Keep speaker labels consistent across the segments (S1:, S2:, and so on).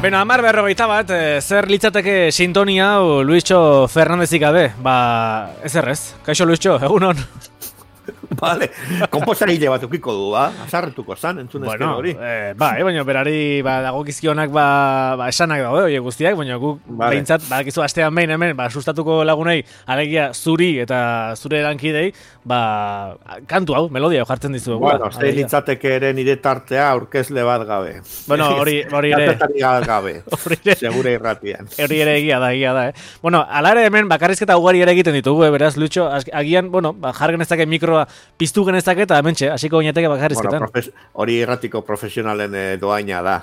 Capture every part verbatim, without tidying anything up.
S1: Beno, hamar berrogeita bat, e, zer litzateke sintonia hau Luischo Fernandezik gabe? Ba, ez errez. Kaixo Luischo, egunon.
S2: Vale, komposarile bat ukiko du, ba? Azarretuko zan, entzun ezken
S1: bueno,
S2: hori.
S1: Eh, ba, eh, baina berari ba, dagokizkionak ba, ba, esanak daude, oie guztiak, baina guk vale. Behintzat, badakizu astean behin hemen, ba, sustatuko lagunei, alegia zuri eta zure erankidei, ba, kantu hau, melodia jartzen dizu.
S2: Bueno, zei litzateke ere nire tartea aurkezle bat gabe.
S1: Bueno, hori hori ere.
S2: Tartetari gabe, segure irratian.
S1: Hori ere egia da, egia da, eh. Bueno, ala ere hemen bakarrizketa ugari ere egiten ditugu, eh, beraz, Lucho, agian, bueno, ba, jargen ezake mikroa piztu genezake eta hementxe, hasiko oinateke bakarrizketan.
S2: Bueno, profes, hori erratiko profesionalen eh, doaina da.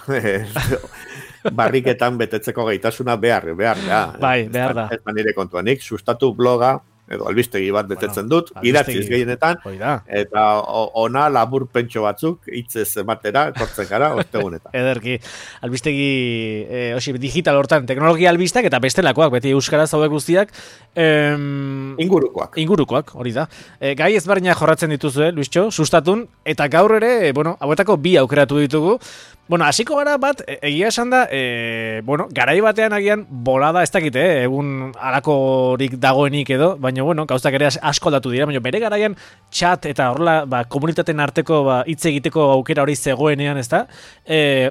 S2: Barriketan betetzeko gaitasuna behar, behar da.
S1: Bai, behar da.
S2: Ez manire kontuanik, sustatu bloga, edo albistegi bat betetzen bueno, dut, idatziz gehienetan, eta ona labur pentso batzuk, hitzez ematera, kortzen gara, ostegunetan.
S1: Ederki, albistegi, e, osi, digital hortan, teknologia albistak eta bestelakoak, beti euskaraz zaude guztiak. Em,
S2: ingurukoak.
S1: Ingurukoak, hori da. E, gai ezberdinak jorratzen dituzue, Luischo, sustatun, eta gaur ere, e, bueno, hauetako bi aukeratu ditugu. Bueno, hasiko gara bat, egia esan da, e, bueno, garai batean agian bolada ez dakite, eh, egun alakorik dagoenik edo, baina, bueno, gauztak ere asko aldatu dira, baina bere garaian chat eta horrela, ba, komunitateen arteko ba, hitz egiteko aukera hori zegoenean, ez da? E,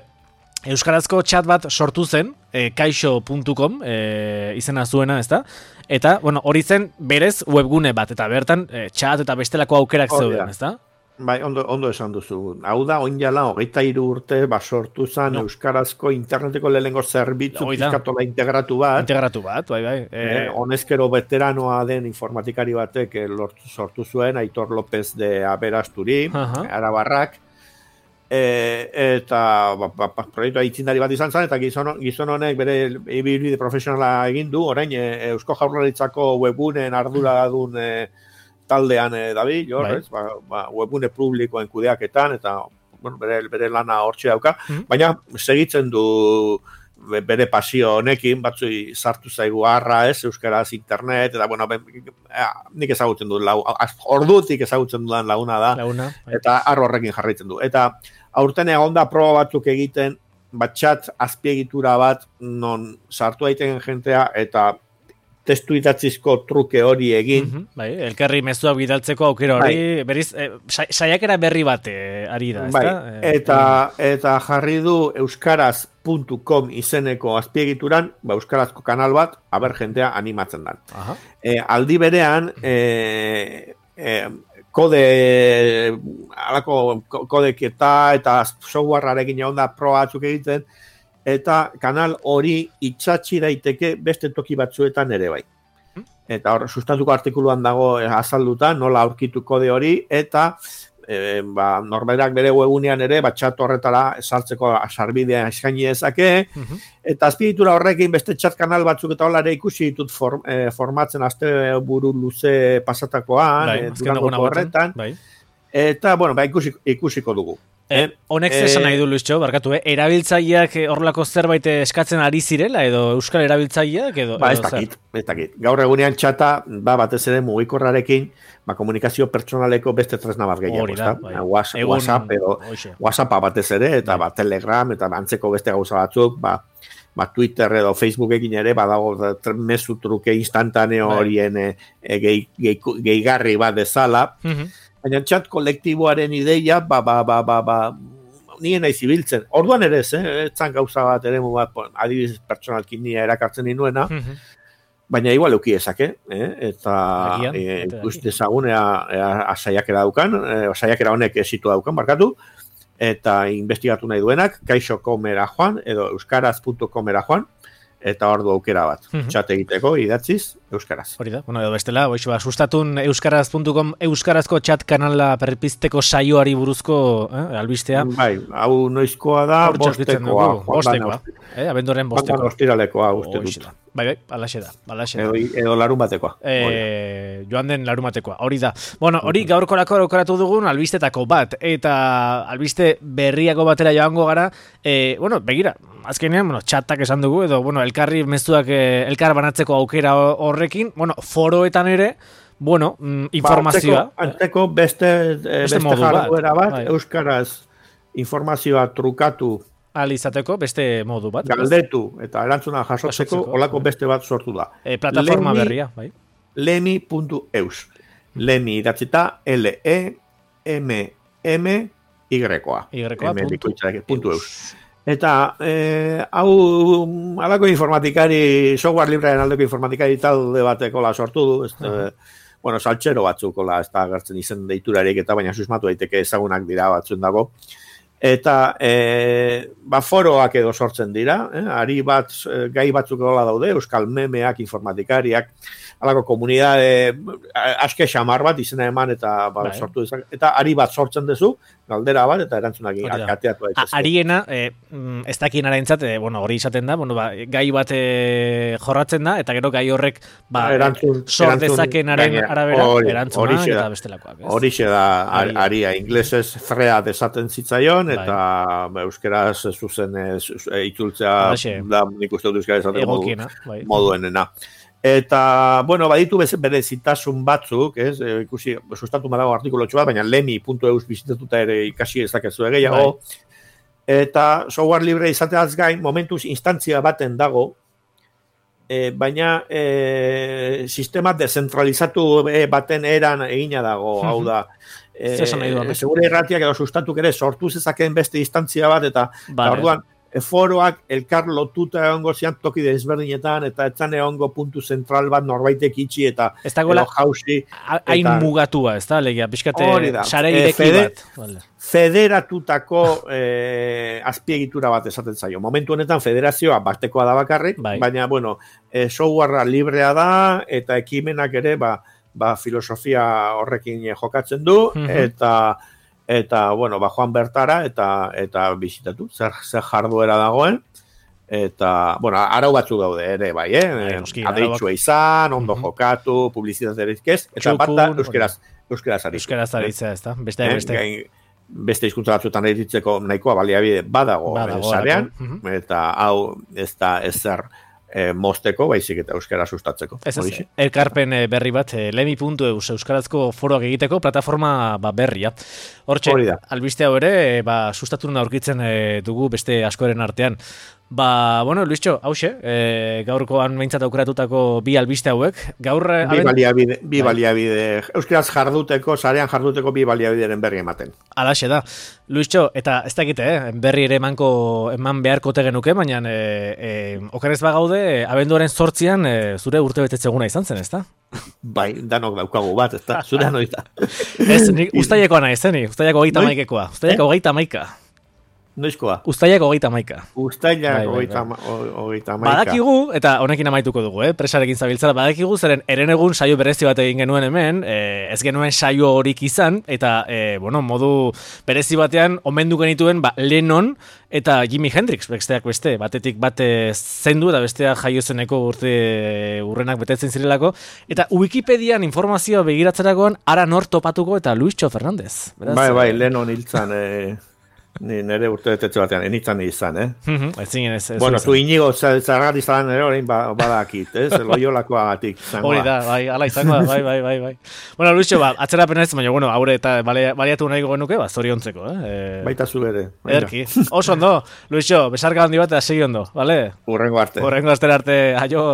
S1: euskarazko chat bat sortu zen, e, kaixo puntu com e, izena zuena, ez da? Eta, bueno, hori zen berez webgune bat, eta bertan e, chat eta bestelako aukerak zeuden, ez da?
S2: Bai, ondo, ondo esan duzu. Hau da, oin jala, hogeita hiru urte, basortu zen, no. Euskarazko interneteko lehenengo zerbitzu pizkatola integratu bat.
S1: Integratu bat, bai, bai.
S2: E, e, honezkero veteranoa den informatikari batek lortu, sortu zuen, Aitor López de Aberasturi, uh-huh. Arabarrak, e, eta ba, ba, ba, proiektua itzindari bat izan zen, eta gizon, gizon honek bere ibilbide profesionala egin du, orain, e, Eusko Jaurlaritzako webgunen ardura dun e, taldean eh, dabil, jorrez, bai. ba, ba, webgune publikoen kudeaketan, eta bueno, bere, bere lana hortxe dauka, mm-hmm. baina segitzen du bere pasio honekin, batzui sartu zaigu harra, ez, euskaraz internet, eta bueno, ben, nik ezagutzen du, lau, ordutik ezagutzen dudan laguna da,
S1: Launa, bai.
S2: Eta harro horrekin jarraitzen du. Eta aurten egon da proba batzuk egiten, bat chat azpiegitura bat, non sartu daiteken jentea, eta testu idatzizko truke hori egin.
S1: Mm-hmm, bai, elkarri mezuak bidaltzeko aukera hori, bai. Beriz, eh, saiakera berri bat eh, ari da,
S2: bai.
S1: ezta?
S2: Eh, eta, eta jarri du euskaraz puntu com izeneko azpiegituran, ba, euskarazko kanal bat, aber jentea animatzen da. Eh, aldi berean, eh, eh, kode, alako kodeketa eta softwarearekin egon da proba batzuk egiten, eta kanal hori itxatxi daiteke beste toki batzuetan ere bai. Eta hor, sustatuko artikuluan dago azalduta, nola aurkitu kode hori, eta e, ba, norberak bere webunean ere, batxat horretara sartzeko sarbidea eskaini dezake, uh-huh. Eta azpiegitura horrekin beste chat kanal batzuk eta hola ere ikusi ditut form, e, formatzen azte buru luze pasatakoan, bai, e, durangoko horretan, bai. Eta, bueno, ba, ikusi, ikusiko dugu.
S1: Eh, honek eh, zesan nahi du, Luischo, barkatu, eh? Erabiltzaileak horrelako zerbait eskatzen ari zirela, edo euskal erabiltzaileak, edo...
S2: Ba, ez dakit, ez dakit. Gaur egunean txata, ba, batez ere mugikorrarekin, ba, komunikazio pertsonaleko beste tresna bat gehiago, ez da? Bai. WhatsApp, Egun, WhatsApp, edo, WhatsAppa batez ere, eta bai. Ba, Telegram, eta antzeko beste gauza batzuk, ba, ba, Twitter edo Facebookekin ere, badago mezu truke instantaneo bai. Horien e, e, gehi, gehi, gehigarri bat dezala, uh-huh. Baina txat kolektiboaren ideia, ba, ba, ba, ba, ba, nien nahi zibiltzen. Orduan ere ez, eh? Etzan gauza bat ere, bat, adibidez pertsonalkin nia erakartzen ninuena, mm-hmm. Baina igual euki ezake, eh? Eta ikuste e, zagunea saiakera daukan, e, saiakera honek esitu daukan, barkatu, eta investigatu nahi duenak, kaixo puntu com era joan, edo euskaraz puntu com era joan, eta hor du aukera bat, mm-hmm. Txat egiteko, idatziz, euskaraz. Hori
S1: da, bueno, edo bestela, boixo, ba, sustatun euskaraz puntu com, euskarazko chat kanala perpizteko saioari buruzko eh, albistea.
S2: Bai, hau noizkoa da, bostekoa.
S1: Bostekoa, eh, abenduaren bostekoa.
S2: Ostiralekoa, uste dut.
S1: Bai, bai, alaxe da, alaxe da.
S2: Edo, edo larun batekoa.
S1: E, joan den larun batekoa, hori da. Bueno, hori gaurkorako aukeratu dugun albistetako bat, eta albiste berriako batera joango gara, e, bueno, begira, azkenean, bueno, chatak esan dugu, edo, bueno, elkarri mezuak elkar banatzeko aukera horrekin, bueno, foroetan ere, bueno, informazioa.
S2: Ba, anteko beste, beste, beste jarduera bat, bai. Euskaraz informazioa trukatu
S1: ahal izateko beste modu bat.
S2: Galdetu eta erantzuna jasotzeko olako beste bat sortu da.
S1: E, plataforma Lemi, berria, bai.
S2: lemi puntu eus. Lemi idatzita L-E-M-M-Y-koa.
S1: Y-koa
S2: puntu eus. Eta, eh, hau, alako informatikari, software librearen aldeko informatikari talde batekola sortu du, ez, uh-huh. eh, bueno, saltxero batzukola, ez da gertzen izen deiturarik, eta baina susmatu daiteke ezagunak dira batzuen dago. Eta, eh, ba, foroak edo sortzen dira, eh, ari bat, gai batzuk gola daude, euskal memeak, informatikariak, alako komunidade, aske xamar bat izena eman eta ba, sortu dezak, eta ari bat sortzen duzu, galdera bat, eta erantzunak kateatu daitezke.
S1: Ariena, eh, ez dakien araintzat, eh, bueno, hori izaten da, bueno, ba, gai bat eh, jorratzen da, eta gero gai horrek ba, erantzun, sor dezakenaren arabera, erantzunak eta bestelakoak.
S2: Horixe da, ari, aria, inglesez thread esaten zitzaion, eta ba, euskeraz zuzen itzultzea, da nik uste dut euskara esaten modu, bai. moduenena. Eta, bueno, baditu berezitasun batzuk, ez, e, ikusi, sustatu madago artikulotxo bat, baina lemi puntu eus bizitatuta ere ikasi ezakezu gehiago. Eta software libre izateaz gain, momentuz instantzia baten dago, e, baina e, sistema dezentralizatu baten eran egina dago, hau da. E, segure irratiak edo sustatuk ere sortu zezakeen beste instantzia bat, eta, eta orduan, foroak elkar lotuta egongo zian toki desberdinetan, eta etzan egongo puntu zentral bat norbaitek itxi, eta
S1: ez dagoela jausi. Hain mugatua, ez da, legia, pixkate sare ireki e, bat. Vale.
S2: Federatutako eh, azpiegitura bat esaten zaio. Momentu honetan federazioa batekoa da bakarrik, bai. Baina, bueno, eh, softwarea librea da, eta ekimenak ere, ba, ba filosofia horrekin jokatzen du, mm-hmm. eta eta, bueno, ba, joan bertara, eta eta bisitatu, zer, zer jarduera dagoen, eta, bueno, arau batzuk daude ere, bai, eh? Adeitsua izan, ondo uh-huh. jokatu, publizitate erizkez, eta bat da, euskeraz, euskeraz aritzea.
S1: Euskaraz aritzea, ez da, beste,
S2: eh?
S1: beste.
S2: Gain, beste hizkuntza batzuetan eritzeko nahikoa baliabide badago, badago sarean, uh-huh. eta hau ez da ezer E, mosteko, baizik eta euskara sustatzeko.
S1: Ez ez, elkarpen berri bat, lemi puntu eus euskarazko foroak egiteko plataforma ba, berria. Hortxe, albiste hau ere, ba, sustatu aurkitzen e, dugu beste askoren artean. Ba, bueno, Luischo, hause, e, gaurkoan behintzat aukeratutako bi albiste hauek. Gaur,
S2: bi aben... baliabide, bi baliabide, euskaraz jarduteko, sarean jarduteko bi baliabideren berri ematen.
S1: Alaxe da. Luischo, eta ez dakite, eh? berri ere emanko, eman beharko tegenuke, baina e, e, okerez bagaude, abenduaren zortzian e, zure urte betetzeguna izan zen, ez da?
S2: Bai, danok daukagu bat, ez da, zure anoita.
S1: Ez, nik ustaileko nahi, zeni, ustaileko hogeita maikekoa, ustaileko hogeita maika.
S2: Noizkoa?
S1: Uztailak hogeita maika.
S2: Uztailak hogeita maika.
S1: Badakigu, eta honekin amaituko dugu, eh? presarekin zabiltzara, badakigu zeren erenegun saio berezi bat egin genuen hemen, eh, ez genuen saio horik izan, eta, eh, bueno, modu berezi batean, omendu genituen, ba, Lennon eta Jimi Hendrix, besteak beste, batetik bate zendu, eta bestea jaio zeneko urte urrenak betetzen zirelako, eta Wikipedian informazioa begiratzerakoan, ara nor topatuko eta Luischo Fernandez.
S2: Beraz, bai, bai, Lennon hiltzan, eh... Ni nere urte betetze batean, enitzan izan, eh?
S1: Mm-hmm. Ez zingen ez, ez
S2: bueno, zu inigo zarrat izan ere horrein badakit, eh? Zer loiolakoa gatik.
S1: Hori da, bai, ala izango da, bai, bai, bai, bai. Bueno, Luischo, ba, atzera pena ez, baina, bueno, haure eta baliatu nahi genuke, ba, zoriontzeko, eh?
S2: Baita zu ere.
S1: Erki, oso ondo, Luischo, besarka handi bat, eta segi ondo, bale?
S2: Urrengo arte.
S1: Urrengo arte arte, aio.